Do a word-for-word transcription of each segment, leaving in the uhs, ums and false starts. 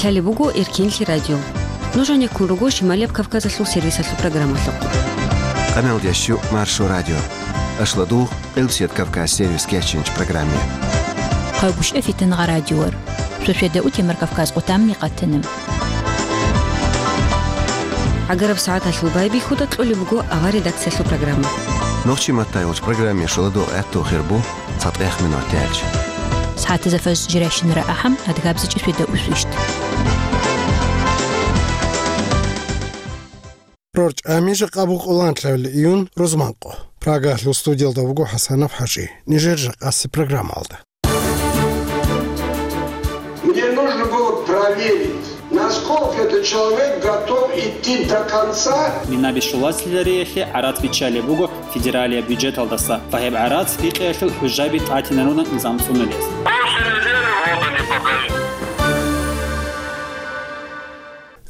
Лъалеб буго Эркенлъи радио. Нуж гьанеккун руго Шималияб Кавказалъул сервисалъул программалъухъ. Къамел дящу Маршо радио. Ашладугъ Къилбсият Кавказ сервис кечинч программе. Хъагушев Фитангъа радиор. Шошеда утемар Кавказ къутамни къатанам. Агараб сагӀаталъул байбихьуда кьолеб буго авар редакциялъул программа. Нохчи маттай вуч программе шоладу гӀатту хирбу цатӀех минут тяч. СагӀатаза фаз жиращинара ахӀам адгабзичӀи шведа усвищт. РорчӀами жакъа букъуланлъавли июн рузманкъо. Прагалъул студиялда вуго ХӀасанов ХӀажи. Нижер жакъаси программалда. Мне нужно было проверить, насколько этот человек готов идти до конца. Минаби щуласилариялъе гӀарац биччалеб буго федералияб бюджеталдаса ва гьеб гӀарац бикъиялъул хӀужаби тӀатинаруна низам цӀунулес.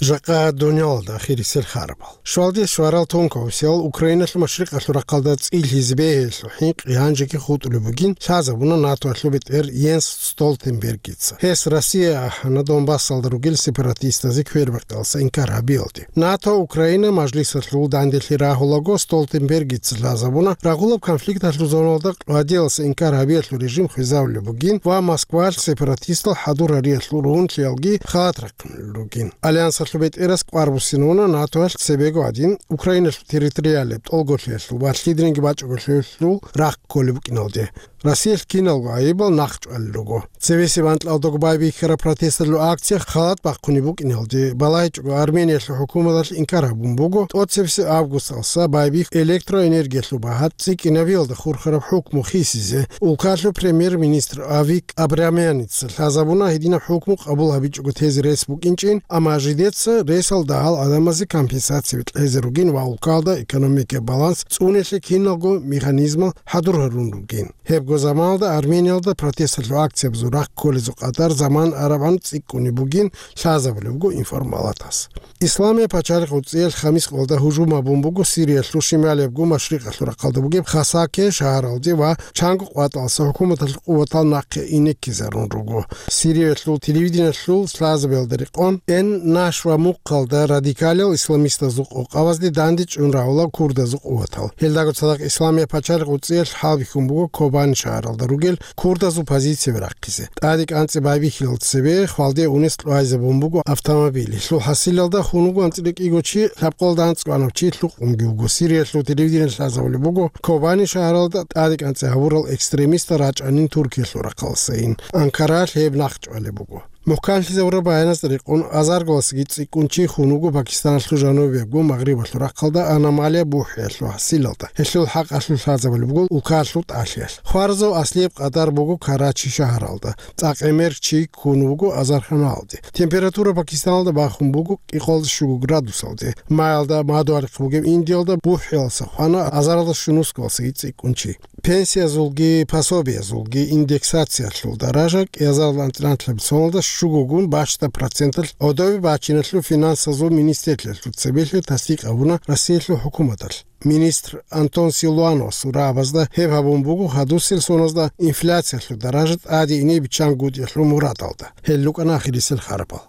Жакъа дунялалда ахирисел харабал. Щвалде щварал тонкавсиял Украиналъул машрикъалъул рахъалда цӀилъизе бегьелъул хӀинкъи гьанжеги хутӀулеб бугин лъазабуна НАТОялъул бетӀер Йенс Столтенбергица. Гьес Россия ахӀана Донбассалда ругел сепаратистазе квербакъиялса инкар гьабиялде. НАТО Украина мажлисалъул данделъи рагьулаго Столтенбергица лъазабуна рагъулаб конфликталъул зоналда къвадиялса инкар гьабиялъул режим хвезавулеб бугин ва Москвалъ сепаратистал хӀадур гьариялъул ругьунлъиялги халат рахъиналъул ругин. Альянсалъул бетӀерас кӀвар буссинавуна НАТОялъ цебего гьадин Украиналъул территориалияб тӀолголъиялъул ва лъидринги бачӀаголъиялъул рахъ кколеб букӀиналде. Россиялъ киналго гӀайибал нахъчӀвалел руго. Цебесеб анкьалдаго байбихьараб протесталъул акция халат бахъунеб букӀиналде балагьичӀого Армениялъул хӀукуматалъ инкар гьабун буго, тӀоцебесеб августалса байбихь электроэнергиялъул багьа цӀикӀкӀинабиялда хурхараб хӀукму хисизе. Улкалъул премьер-министр Авик Абрамяница лъазабуна гьединаб хӀукму къабул гьабичӀого тезе рес букӀинчӀин, амма жидеца ресал дагьал гӀадамазе компенсация кьезе ругин ва улкалда экономикаяб баланс цӀунелъе киналго механизмал хӀадур гьарун ругин. Гьебго заманалда Армениялда протесталъул акциябазул рахъ кколезул къадар заман арабгӀан цӀикӀкӀунеб бугин лъазабулеб буго информалатас. Исламияб пачалихъ гӀуцӀиялъ хамис къоялда гьужум гьабун буго Сириялъул шималиябго машрикъалъул рахъалда бугеб Хасаке шагьаралде ва чанго къватӀалса хӀукуматалъул къуватал нахъе инеккизарун руго. Сириялъул телевидениялъул лъазабиялда рекъон, Эн-Нашва мухъалда радикалиял исламистазул къокъабазде данде чӀун рагӀула курдазул къуватал. Гьелдаго цадахъ Исламияб пачалихъ гӀуцӀиялъ хӀалбихьун буго Кобани шагьаралда ругел курдазул позицияби рахъизе. ТӀаде кӀанцӀи байбихьилал цебе хвалде унес кьвайзабун буго автомобиль. Гьелъул хӀасилалда хун вуго анцӀила кӀиго чи, лъабкъоялда анцӀго анав чи лъукъунги вуго. Сириялъул телевидение лъазабулеб буго, Кобани шагьаралда тӀаде кӀанцӀи гьабурал экстремистал рачӀанин Туркиялъул рахъалсайин. Анкаралъ гьеб нахъчӀвалеб буго. МухӀканлъизавураб баяназда рекъон, азарго васги цӀикӀкӀун чи хун вуго Пакистаналъул жанубиябго магърибалъул рахъалда аномалия бухӀиялъул хӀасилалда. Гьелъул хӀакъалъулъ лъазабулеб буго улкаялъул тӀалъиялъ. Хваразул аслияб къадар буго Карачи шагьаралда. ЦӀакъ гӀемер чи ккун вуго азарханалде. Температура Пакистаналда бахун буго кӀикъоялда щуго градусалде. Маялда мадугьалихъ бугеб Индиялда бухӀиялса хвана азаралда щунусго васги цӀикӀкӀун чи. Пенсиязулги пособиязулги индексациялъул даража кӀиазарал анцӀила анлъабилеб соналда щугогун бащда проценталъ гӀодобе бачиналъул финансазул министрлъиялъул цебелъи тасдикъ гьабуна Россиялъул хӀукуматалъ. Министр Антон Силуановасул рагӀабазда гьеб гьабун буго гьадусел соназда инфляциялъул даража тӀаде ине биччан гутӀиялъул мурадалда. Гьел рукӀана ахирисел харабал.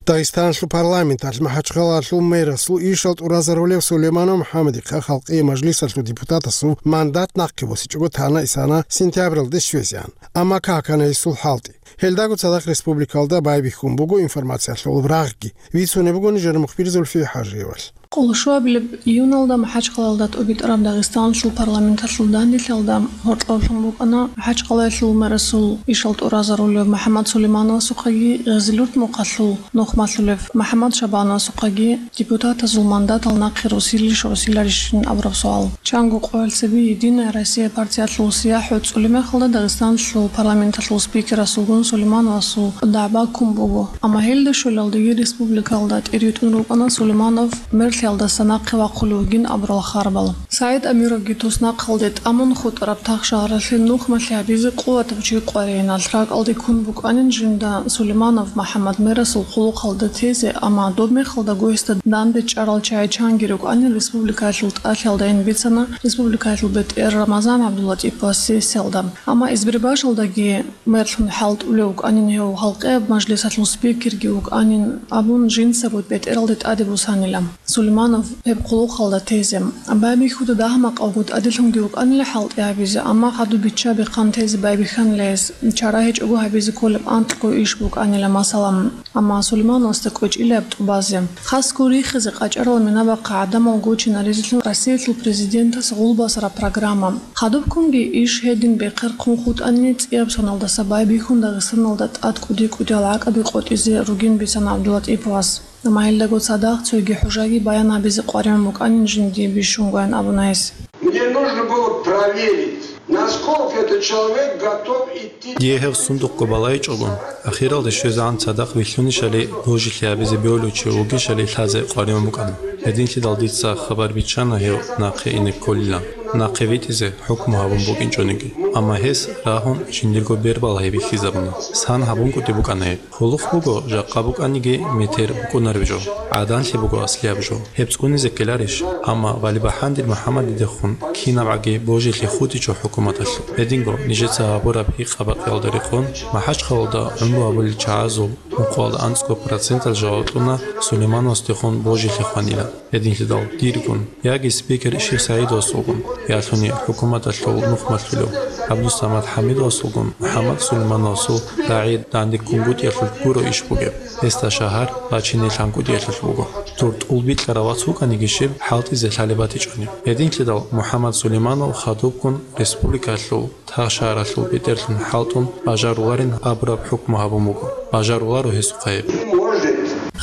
Дагъистаналъул парламенталъ МахӀачхъалаялъул мэрасул ишал тӀуразарулев Сулейманов МухӀаммадихъа Халкъиял мажлисалъул депутатасул мандат нахъе босичӀого тана-исана сентябралде щвезеян. Амма какана гьесул хӀалтӀи. Гьелдаго цадахъ республикалда байбихьун буго информациялъул рагъги. Бицунеб буго нижер мухбир Зульфия ХӀажиевалъ. Къоло щуабилеб июналда МахӀачхъалаялда тӀубитӀараб Дагъистаналъул парламенталъул данделъиялда гьоркьоблъун букӀана МахӀачхъалаялъул мэрасул ишал тӀуразарулев МухӀаммад Сулеймановасухъаги Гъизилурт мухъалъул нухмалъулев МухӀаммад Шабановасухъаги депутатазул мандатал нахъе росилищ-росиларищин абураб суал. Чанго къоялъ цебе «Единая Россия» партиялъул сияхӀ гӀуцӀулеб мехалда Дагъистаналъул парламенталъул спикерасулгун Сулеймановасул дагӀба ккун буго. Амма гьелда щолалдеги республикалда тӀеритӀун рукӀана Сулейманов мерлъиялдаса нахъе вахъулев вугин абурал харабал. СагӀид Амировги туснахъалде тӀамун хутӀараб тахшагьаралъе нухмалъи гьабизе къуватаб чи къваригӀиналъ ракӀалде ккун букӀанин жинда Сулейманов МухӀаммад мерасул хъулухъалда тезе, амма доб мехалдаго гьесда данде чӀарал чагӀи чанги рукӀанин республикаялъул тӀалъиялдайин бицана республикаялъул бетӀер Рамазан ГӀабдуллатӀиповас сессиялда. Амма избирбашалдаги мерлъун хӀалтӀулев вукӀанин гьев, гьалкьияб мажлисалъул спикерги вукӀанин абун, жинцаго бетӀералде тӀаде босанила Сулейманов гьеб хъулухъалда тезе. Байбихьуда дагьа-макъавго тӀаделъунги вукӀанила хӀалтӀи гьабизе, амма хадуб бичча-бихъан тезе байбихьанила гьес, чара гьечӀого гьабизе кколеб анкьго иш букӀанила, масала. Амма Сулеймановасда кӀвечӀилаб тӀубазе, хасго рихизе къачӀарал минабахъа гӀадамал гочинаризелъун Россиялъул президентас гъулбасараб программа. Хадубккунги иш гьедин бехъерхъун хутӀани, цӀияб соналдаса байбихьун Дагъистаналда тӀад кӀуди-кӀудиял гӀакӀаби къотӀизе ругин бицана ГӀабдуллатӀиповас. Амма гьелдаго цадахъ цоги хӀужаги баян гьабизе къваригӀун букӀанин жиндие бищунгоян абуна гьес. Мне нужно было проверить, насколько этот человек готов идти. Дие гьев сундухъго балайчӀого, ахиралде щвезегӀан цадахъ вилълъунищали божилъи гьабизе бегьулев чи вугищали лъазе къваригӀун букӀана. Гьединлъидал дица хабар биччана гьев нахъе ине кколилан, нахъе витӀизе хӀукму гьабун букӀинчӀониги. Амма гьес рагьун жиндирго бер балагьи бихьизабуна. Сан гьабун кӀуди букӀана гьеб. Хъулухъ буго, жакъа букӀаниги метер букӀунареб жо, гӀаданлъи буго аслияб жо. Гьеб цӀунизе ккеларищ? Амма Валибахандил МухӀаммадидехун кинабгӀаги божилъи хутӀичӀо хӀукуматалъул. Гьединго, нижеца гьабураб гьикъа-бакъиялда рекъон, МахӀачхъалалда гӀумру гьабулел чагӀазул мукъуялда анцӀго процентал жаваб кьуна Сулеймановасдехун божилъи хванилан. Гьединлъидал диргун, яги спикер Шихсагьидовасулгун, ялъуни хӀукуматалъул нухмалъулев ГӀабдусамад ХӀамидовасулгун МухӀаммад Сулеймановасул рагӀи дандеккунгутӀиялъулъ гуро иш бугеб, гьесда шагьар бачине лъангутӀиялъулъ буго. Тур тӀулбикьарав вац вукӀаниги щиб, хӀалтӀизе лъалеб батичӀони. Гьединлъидал МухӀаммад Сулейманов хадубккун республикалъул тахшагьаралъул бетӀерлъун хӀалтӀун бажаруларин абураб хӀукму гьабун буго. Бажаруларо гьесухъа гьеб.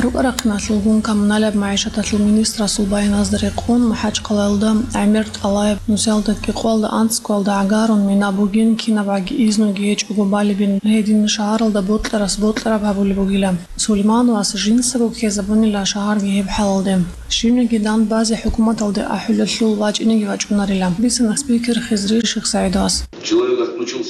РукӀа-рахъиналъулгун коммуналияб магӀишаталъул министрасул баяназда рекъон, МахӀачхъалаялда гӀемер тӀалаяб нусиялда кӀикъоялда анцӀгоялда гӀагарун мина бугин, кинабгӀаги изнуги гьечӀого балебин, гьедин шагьаралда бокьарас бокьараб гьабулеб бугила. Сулеймановас жинцаго ккезабунила шагьарги гьеб хӀалалде. Щибниги дандбазе хӀукуматалде ахӀулелъул вачӀинеги вачӀунарила, бицана спикер Хизри Шихсагьидовас.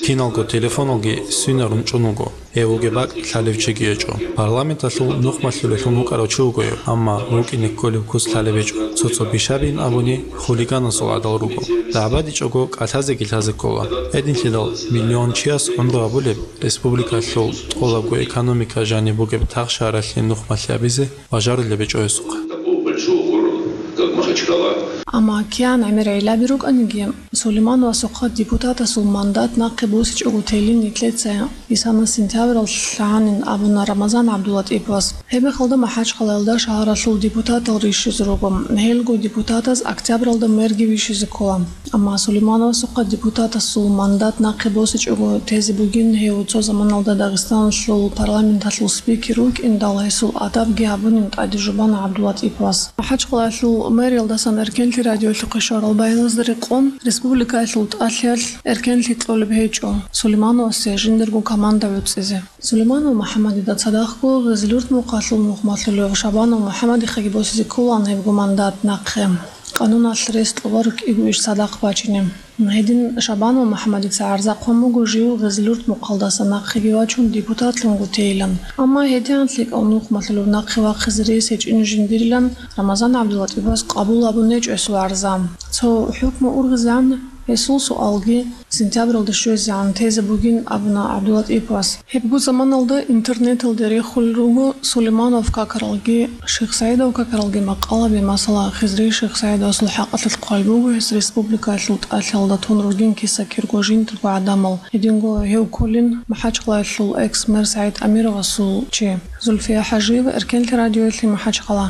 Киналго телефоналги свинарун чӀун вуго, гьев вугеб бакӀ лъалев чиги гьечӀо. Парламенталъул нухмалъулелъун вукӀарав чи вуго гьев, амма вукӀине кколев кус лъалеб гьечӀо. Цо-цо бищабин абуни, хулиганасул гӀадал руго. ДагӀбадичӀого кӀалъазеги лъазе ккола. Гьединлъидал миллион чияс гӀумру гьабулеб, республикалъул тӀолабго экономика жаниб бугеб тахшагьаралъе нухмалъи гьабизе бажарулеб гьечӀо гьесухъа. Такого большого города, как Махачкала. Амма кигӀан гӀемер гӀиллаби рукӀаниги, Сулеймановасухъа депутатасул мандат нахъе босичӀого телин нилъеца исана сентябралъ лъагьанин абуна Рамазан ГӀабдуллатӀиповас. Гьебмехалда МахӀачхъалаялда шагьаралъул депутатал рищизе руго. Гьелго депутатаз октябралда мерги вищизе ккола. Амма Сулеймановасухъа депутатасул мандат нахъе босичӀого тезе бугин гьев цо заманалда Дагъистаналъул парламенталъул спикер вукӀиндал, гьесул адабги гьабунин тӀаде жубана ГӀабдуллатӀиповас. МахӀачхъалаялъул мэриялдасан Эркенлъи радиолъухъе щварал баяназда рекъон, республикаялъул тӀалъиялъ эркенлъи кьолеб гьечӀо Сулеймановасе жиндирго команда гӀуцӀизе. Сулейманов МухӀаммадида цадахъго Гъизлюрт мухъалъул нухмалъулев Шабанов МухӀаммадихъеги босизе кколаан гьебго мандат нахъе. Къануналъ рес кьола рукӀиго иш цадахъ бачине. Гьедин Шабанов МухӀаммадица гӀарзахъун буго жив Гъизлюрт мухъалдаса нахъеги вачун депутатлъунго тейилан. Амма гьедигӀан лъикӀав нухмалъулев нахъе вахъизе рес гьечӀин жиндирилан Рамазан ГӀабдуллатӀиповас къабул гьабун гьечӀо гьесул гӀарза. Цо хӀукму ургъизегӀан гьесул суалги сентябралда щвезегӀан тезе бугин абуна ГӀабдуллатӀиповас. Гьебго заманалда интернеталде рехулел руго Сулейманов какаралги, ШихсагӀидов какаралги макъалаби, масала, Хизри ШихсагӀидовасул хӀакъалъулъ хъвай буго гьес республикаялъул тӀалъиялда тун ругин киса-кирго жиндирго гӀадамал, гьединго гьев кколин МахӀачхъалаялъул экс-мэр СагӀид Амировасул чи. Зульфия ХӀажиева, Эркенлъи радиоялъе, МахӀачхъала.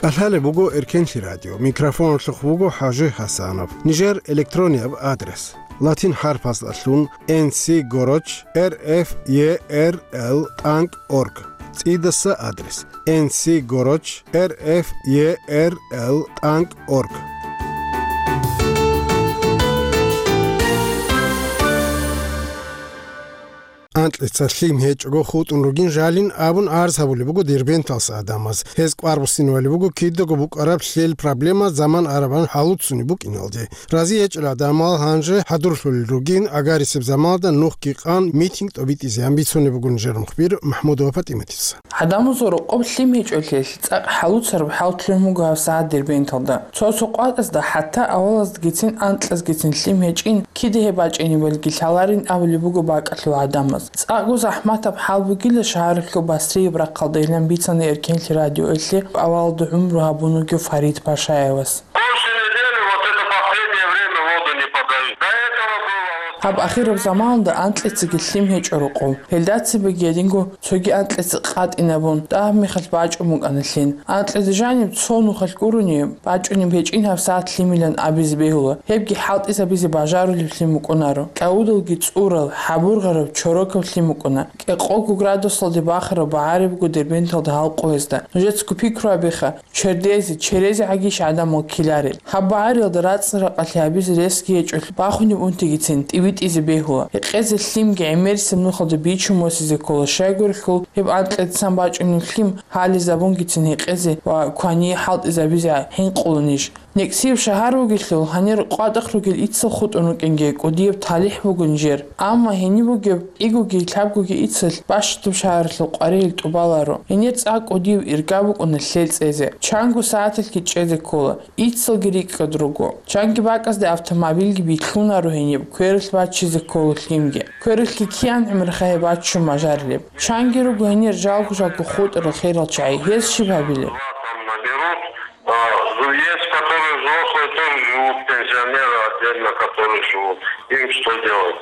КӀалъалеб буго Эркенлъи радио. Микрофоналъухъ вуго ХӀажи ХӀасанов. Нижер электронияб адрес: латин хӀарпаздалъун N C горочь R F E R L тӀанкӀ org. ЦӀидаса адрес: N C горочь R F E R L тӀанкӀ org. Анкьица лъим гьечӀого хутӀун ругин жалин абун арз гьабулеб буго Дербенталъ гӀадамаз. Гьез кӀвар буссинавали буго кидаго букӀараб лъел проблема заман арабан гьалуцунеб букӀиналде. Рази гьечӀел гӀадамал гьанже хӀадурлъулел ругин, агарисеб заманалда нухги къан митинг тӀобитӀизеян бицунеб бугун жер мухбир Махмудова ПатӀиматица. ГӀадамазул рокъоб лъим гьечӀолъиялъ цӀакъ хӀалуцараб хӀал лъугьун буго гьабсагӀат Дербенталда. Цо-цо къватӀазда хӀатта авалаздагицин анкьазгицин лъим гьечӀин, кида гьеб бачӀинебалги лъаларин абулеб буго бакӀалъул гӀадамаз. ЦӀакъго захӀматаб хӀал бугила шагьаралъул Басрияб рахъалда, илан бицана Эркенлъи радиоялъе авалалда гӀумру гьабун вугев Фарид Пашаевас. Больше недели, вот это последнее время воду не подают. До этого было вот Гьаб ахираб заманалда анкьицаги лъим гьечӀо рокъов. Гьелда цебеги гьединго цоги анкьица къатӀинабун, дагьаб мехалъ бачӀун букӀана лъим. Анкьида жаниб цо нухалъ гурони, бачӀунеб гьечӀин гьабсагӀат лъимилан абизе бегьула. Гьебги хӀалтӀизабизе бажарулев лъим букӀунаро. КӀавудалги цӀурал, хӀабургъараб, чорокаб лъим букӀуна. КӀикъого градусалде бахараб багӀари буго Дербенталда гьал къоязда. Нужецаго пикру гьабеха, чердезе, черезегӀагищ гӀадамал ккеларел. Гьаб багӀариялда рацӀцӀа-ракъалъи гьабизе ресги гьечӀолъ бахунеб унтигицин тӀибитӀизе бегьула. Гьекъезе лъимги гӀемерисеб нухалда бичун босизе ккола, щайгурелъул гьеб анкьицаца бачӀунеб лъим гьализабунгицин гьекъезе ва квание хӀалтӀизабизе хӀинкъуланищ. НекӀсияб шагьар вугелъул, гьанир къватӀахъ ругел иццал хутӀун рукӀинги кӀудияб талихӀ бугун жер. Амма гьениб бугеб кӀигоги лъабгоги иццалъ бащдаб шагьаралъул къваригӀел тӀубаларо. Гьенир цӀакъ кӀудияб ирга букӀуна лъел цӀезе. Чанго сагӀаталъги чӀезе ккола. Иццалги рикӀкӀад руго. Чанги бакӀазде автомобилги билълъунаро гьениб, квералъ баччизе ккола лъимги. Квералъги киян гӀумруха гьеб баччун бажарилеб. Чанги руго гьенир жалго-жалго хутӀарал херал чагӀи. Гьез щиб гьабилеб? Там наберут, а, есть, которые взрослые тоже живут, пенсионеры отдельно, которые живут. Им что делать?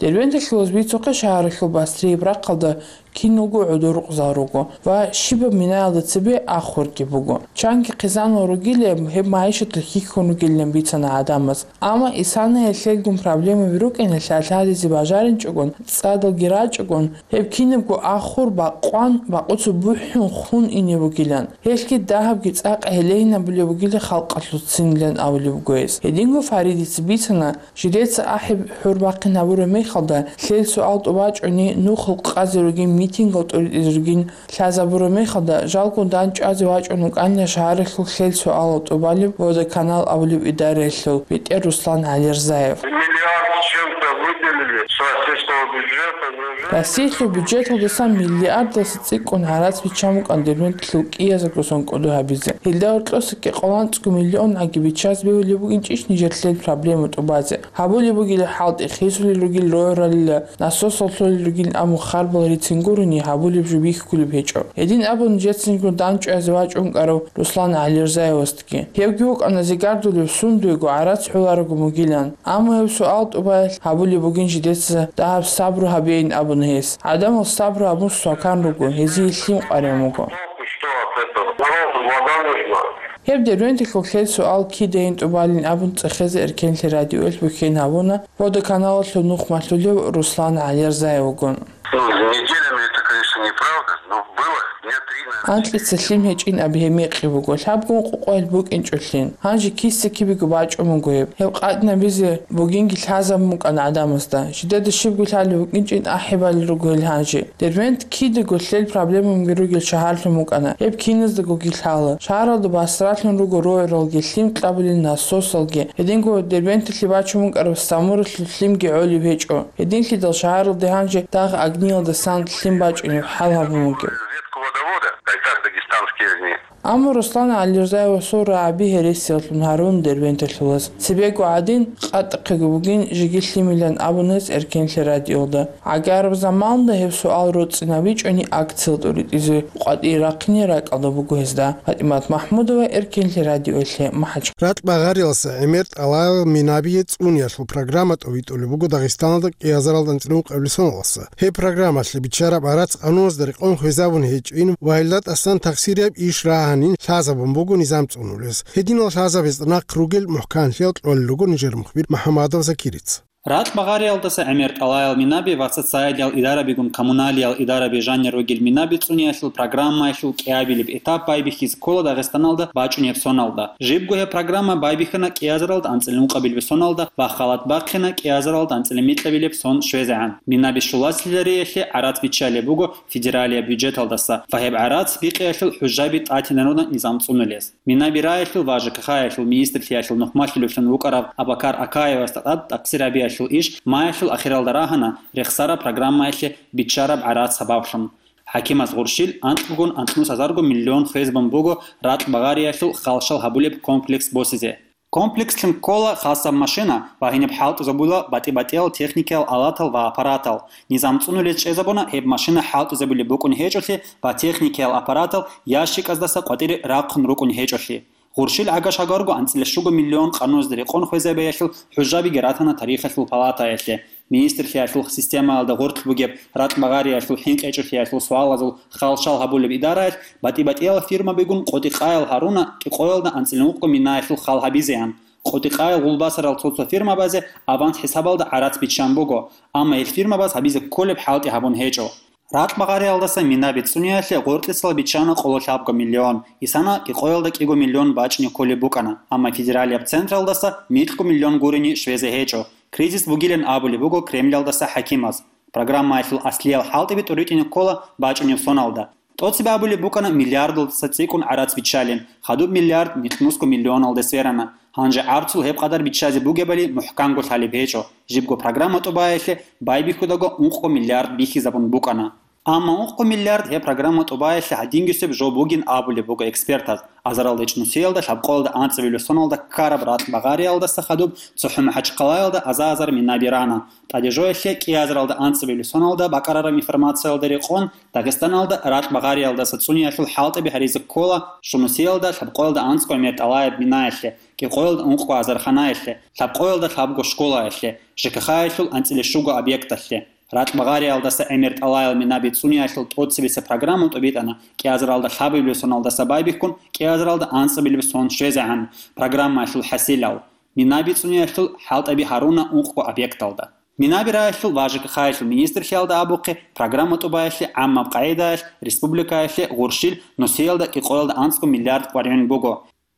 Дербенталъулаз бицухъе шагьаралъул Басрияб рахъалда киналго гӀодор рукъзал руго ва щибаб минаялда цебе ахурги буго. Чанги хъизанал ругилеб, гьеб магӀишаталъ хьихьун ругилан бицана гӀадамаз. Амма исанаялъ лъелгун проблемаби рукӀиналъ лъалъадизе бажаринчӀогон, цӀадалги рачӀогон, гьеб кинабго ахур бакъван, бакъуца бухӀун хун ине бугилан. Гьелъги дагьабги цӀакъ гьелегьинабулеб бугила халкъалъуцинилан абулеб буго гьес. Гьединго Фаридица бицана, жидеца ахӀи хӀурбахъин гьабураб мехалда, лъел суал тӀубачӀони, нухал къазе ругин, митингал тӀуритӀизе ругин лъазабураб мехалда, жалго дандчӀвазе вачӀун вукӀанила шагьаралъул лъел суалал тӀубалеб Водоканал абулеб идараялъул бетӀер Руслан ГӀалирзаев. Миллиард с чем-то выделили с российского бюджета, неужели? Россиялъул бюджеталдасан миллиардалъ цӀикӀкӀун гӀарац биччан букӀан Дербенталъул кӀиязего сон кӀодо гьабизе. Гьелда гьоркьоса кӀикъоялда анцӀго миллион гӀаги биччазе бегьулеб букӀинчӀищ нижер лъел проблема тӀубазе? Гьабулеб бугила хӀалтӀи, хисулел ругел рогӀралила, насосал лъолел ругин абун харбал рицин гурони, гьабулеб жо бихьулеб гьечӀо. Гьедин абун нижецинго дандчӀвазе вачӀун вукӀарав Руслан ГӀалирзаевасдаги. Гьевги вукӀана зигардулев сундуего гӀарац гӀоларого мугилан. Амма гьеб суал тӀубаялъ гьабулеб бугин жидеца дагьаб сабру гьабейин абун гьес. ГӀадамал сабру гьабун свакан руго, гьезие лъим къваригӀун вуго. Что от этого? Народу вода нужна. Гьеб Дербенталъул лъел суал кидайин тӀубалин абун цӀехезе Эркенлъи радиоялъ бухьен гьабуна Водоканалалъул нух малъулев Руслан ГӀалирзаевгун. Ну, неделями это, конечно, неправда, но было дня три, наверное. Анкьица лъим гьечӀин аб гьеб мекъи буго, лъабгун къукъоял букӀинчӀолъин. Гьанже киса-кибего бачӀун буго гьеб. Гьеб къатӀинабизе бугинги лъазабун букӀана гӀадамазда. Жидеда щибго лъалеб букӀинчӀин ахӀи балел руго гьел гьанже. Дербент кидаго лъел проблемаби ругел шагьарлъун букӀана. Гьеб киназдагоги лъала. Шагьаралда басралъун руго рогӀралги, лъим кьабулел насосалги. Гьединго Дербенталъе бачун букӀараб Самуралъул лъимги гӀолеб гьечӀо. Гьединлъидал шагьаралде гьанже дагъ агниялдасан лъим бачӀунеб хӀал гьабун бугеб. Ветку водовода, Кайтак дагестанские огни. Амма Руслан ГӀалирзаевасул рагӀаби гьересиялъун гьарун Дербенталъулаз. Цебего гӀадин, къатӀахъего бугин жеги лъимилан абун гьес Эркенлъи радиоялда. ГӀагараб заманалда гьеб суал роцӀцӀинабичӀони акциял тӀуритӀизе къватӀир рахъине ракӀалда буго гьезда. ПатӀимат Махмудова, Эркенлъи радиоялъе, МахӀач. Ракь багъариялдаса гӀемер тӀалабал минабие цӀуниялъул программа тӀовитӀулеб буго Дагъистаналда кӀиазаралда анцӀила ункъабилеб соналдаса. Гьеб программалъе биччараб гӀарац къануналда рекъон хвезабун гьечӀин ва гьелда тӀасан тахсирияб иш рагьанин лъазабун буго низам цӀунулес. Гьединал лъазабазда нахъ ругел мухӀканлъиял кьолел руго нижер мухбир МухӀамадов Закирица. Ракь багъариялдаса гӀемер тӀалаял минаби ва социалиял идарабигун коммуналиял идараби жанир ругел минаби цӀуниялъул программаялъул кӀиабилеб этап байбихьизе ккола Дагъистаналда бачӀунеб соналда. Жибго гьеб программа байбихьана кӀиазаралда анцӀила ункъабилеб соналда ва халат бахъина кӀиазаралда анцӀила микьабилеб сон щвезегӀан. Минаби щулалъизариялъе гӀарац биччалеб буго федералияб бюджеталдаса ва гьеб гӀарац бикъиялъул хӀужаби тӀатинарунан низам цӀунулес. Минаби раялъул ва ЖКХ-ялъул министрлъиялъул нухмалъулевлъун вукӀарав Абакар Акаевасда тӀад тӀахсир гьабиялъул иш маялъул ахиралда рагьана рехсараб программаялъе биччараб гӀарац сабаблъун. ХӀакимаз гъурщил анкьгун анкьнус гьазарго миллион хвезабун буго ракь багъариялъул халщал гьабулеб комплекс босизе. Комплекслъун ккола хасаб машина ва гьениб хӀалтӀизабула батӀи-батӀиял техникиял алатал ва аппаратал. Низам цӀунулез чӀезабуна гьеб машина хӀалтӀизабулеб букӀун гьечӀолъи ва техникиял аппаратал ящиказдаса къватӀире рахъун рукӀун гьечӀолъи. Гъурщил гӀага-шагарго анцӀила щуго миллион къануназда рекъон хвезабиялъул хӀужабиги ратана тарихалъул палатаялъе. Министрлъиялъул системаялда гъоркь бугеб ракь багъариялъул хӀинкъичӀолъиялъул суалазул халщал гьабулеб идараялъ батӀи-батӀиял фирмабигун къотӀи-къаял гьаруна кӀикъоялда анцӀила ункъго минаялъул хал гьабизеян. КъотӀи-къаял гъулбасарал цо-цо фирмабазе аванс хӀисабалда гӀарац биччан буго, амма гьел фирмабаз гьабизе кколеб хӀалтӀи гьабун гьечӀо. Ракь багъариялдаса минаби цӀуниялъе гъоркьисал биччана къоло лъабго миллион, исана кӀикъоялда кӀиго миллион бачӀине кколеб букӀана, амма федералияб централдаса микьго миллион гурени щвезе гьечӀо. Кризис бугилан абулеб буго Кремлялдаса хӀакимаз. Программаялъул аслиял хӀалтӀиби тӀуритӀине ккола бачӀунеб соналда. ТӀоцебе абулеб букӀана миллиардалдаса цӀикӀкӀун гӀарац биччалин, хадуб миллиард микьнусго миллионалде сверана. Гьанже гӀарцул гьеб къадар биччазе бугебали мухӀканго лъалеб гьечӀо, жибго программа тӀубаялъе байбихьудаго ункъго миллиард бихьизабун букӀана. Амма ункъго миллиард гьеб программа тӀубаялъе гьадингисеб жо бугин абулеб буго экспертаз. Азаралда ичӀнусиялда лъабкъоялда анцӀабилеб соналда ккараб ракь багъариялдаса хадуб цохӀо МахӀачхъалаялда аза-азар минаби рана. ТӀадежоялъе кӀиазаралда анцӀабилеб соналда бакӀарараб информациялда рекъон, Дагъистаналда ракь багъариялдаса цӀуниялъул хӀалтӀиби гьаризе ккола щунусиялда лъабкъоялда анцӀго гӀемер тӀалаяб минаялъе, кӀикъоялда ункъго азарханаялъе, лъабкъоялда лъабго школаялъе, ЖКХ-ялъул анцӀила щуго объекталъе. Ракь багъариялдаса гӀемер тӀалаял минаби цӀуниялъул тӀоцебесеб программа тӀубитӀана кӀиазаралда лъабабилеб соналдаса байбихьун кӀиазаралда анцӀабилеб сон щвезегӀан программаялъул хӀасилал. Минаби цӀуниялъул хӀалтӀаби гьаруна ункъго объекталда. Минаби раялъул ва ЖКХ-ялъул министрлъиялда абухъе, программа тӀубаялъе гӀаммаб къагӀидаялъ республикаялъе гъурщил нусиялда кӀикъоялда анцӀго миллиард къваригӀун буго.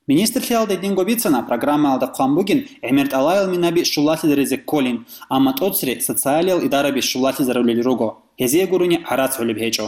Министрлъиялда гьединго бицана, программаялда хъван бугин гӀемер тӀалаял минаби щулалъизаризе кколин, амма тӀоцере социалиял идараби щулалъизарулел руго, гьезие гурони гӀарац гӀолеб гьечӀо.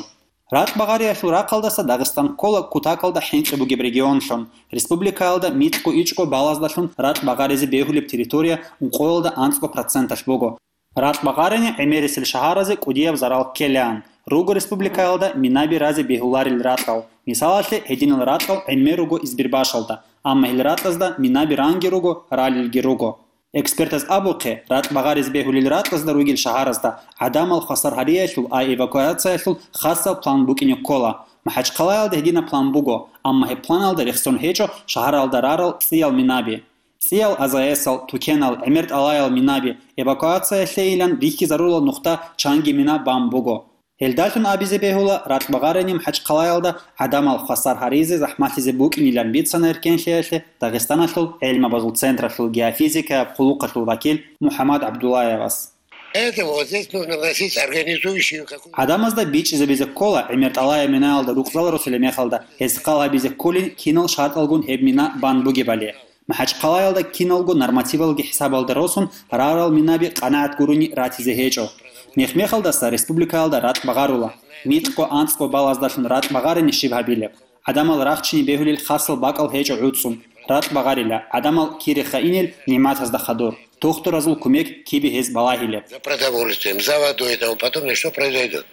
Ракь багъариялъул рахъалдаса Дагъистан ккола кутакалда хӀинкъи бугеб регионлъун. Республикаялда микьго ичӀго балаздалъун ракь багъаризе бегьулеб территория ункъоялда анцӀго проценталъ буго. Ракь багъарани гӀемерисел шагьаразе кӀудияб зарал ккелаан. Руго республикаялда минаби разе бегьуларел ракьал. Мисалалъе, гьединал ракьал гӀемер руго Избербашалда, амма гьел ракьазда минаби ранги руго, ралелги руго. Экспертаз абухъе, ракь багъарез бегьулел ракьазда ругел шагьаразда гӀадамал хвасар гьариялъул ва эвакуациялъул хасал план букӀине ккола. МахӀачхъалаялда гьединаб план буго, амма гьеб планалда рехсон гьечӀо шагьаралда рарал цӀиял минаби. ЦӀиял АЗС-ал, тукенал, гӀемер тӀалаял минаби, эвакуациялъейилан рихьизарулал нухда чанги мина бан буго. Гьелдалъун абизе бегьула, ракь багъарани МахӀачхъалаялда гӀадамал хвасар гьаризе захӀмалъизе букӀинилан бицана эркенлъиялъе Дагъистаналъул гӀелмабазул централъул геофизикаяб къуллукъалъул вакил МухӀаммад ГӀабдуллаевас. Поэтому вот здесь нужно вносить организующую какую-то... ГӀадамазда бичӀчӀизабизе ккола, гӀемер тӀалаяб минаялда рукъзал росулеб мехалда, гьез хал гьабизе кколин кинал шартӀалгун гьеб мина бан бугебали. МахӀачхъалаялда киналго нормативалги хӀисабалда росун рарал минаби къанагӀат гурони ратизе гьечӀо. Мех-мехалдаса республикаялда ракь багъарула. Микьго анцӀго балаздалъун ракь багъарани щиб гьабилеб? ГӀадамал рахчине бегьулел хасал бакӀал гьечӀо гӀуцӀцӀун. Ракь багъарила, гӀадамал кире хайинел нигӀматазда хадур. Тухтуразул кумек кибе гьез балагьилеб? За продовольствием, за водой и тому подобное, что произойдет?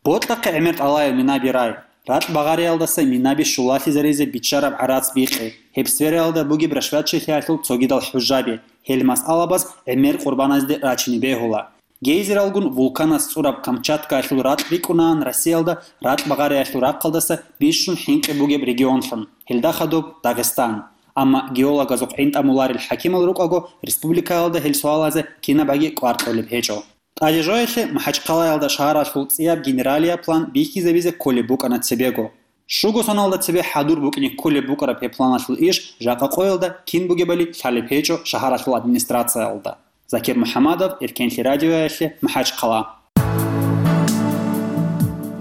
Бокьахъе гӀемер тӀалаял минаби рай. Ракь багъариялдаса минаби щулалъизаризе биччараб гӀарац бикъи. Гьеб сфераялда бугеб рашватчилъиялъул цогидал хӀужаби. Гьел масъалабаз гӀемер къурбаназде рачине бегьула. Гейзералгун вулканас цӀураб Камчаткаялъул ракь рикӀкӀунаан Россиялда ракь багъариялъул рахъалдаса бищун хӀинкъи бугеб регионлъун, гьелда хадуб Дагъистан. Амма геологазухъ гӀинтӀамуларел хӀакимал рукӀаго, республикаялда гьел суалазе кинабаги кӀвар кьолеб гьечӀо. ТӀадежоялъе МахӀачхъалаялда шагьаралъул цӀияб генералияб план бихьизабизе кколеб букӀана цебего. Щуго соналда цебе хӀадур букӀине кколеб букӀараб гьеб планалъул иш жакъа къоялда кин бугебали лъалеб гьечӀо шагьаралъул администрациялда. Закир МухӀаммадов, Эркенлъи радиоялъе, МахӀачхъала.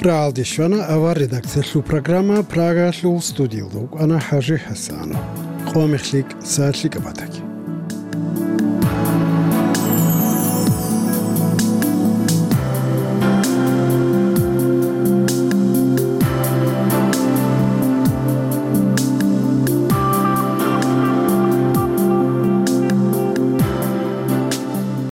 РагӀалде щвана авар редакциялъул программа, Прагаялъул студиялда вукӀана ХӀажи ХӀасанов. Къо мехлъи, сахлъи кӀабатаги.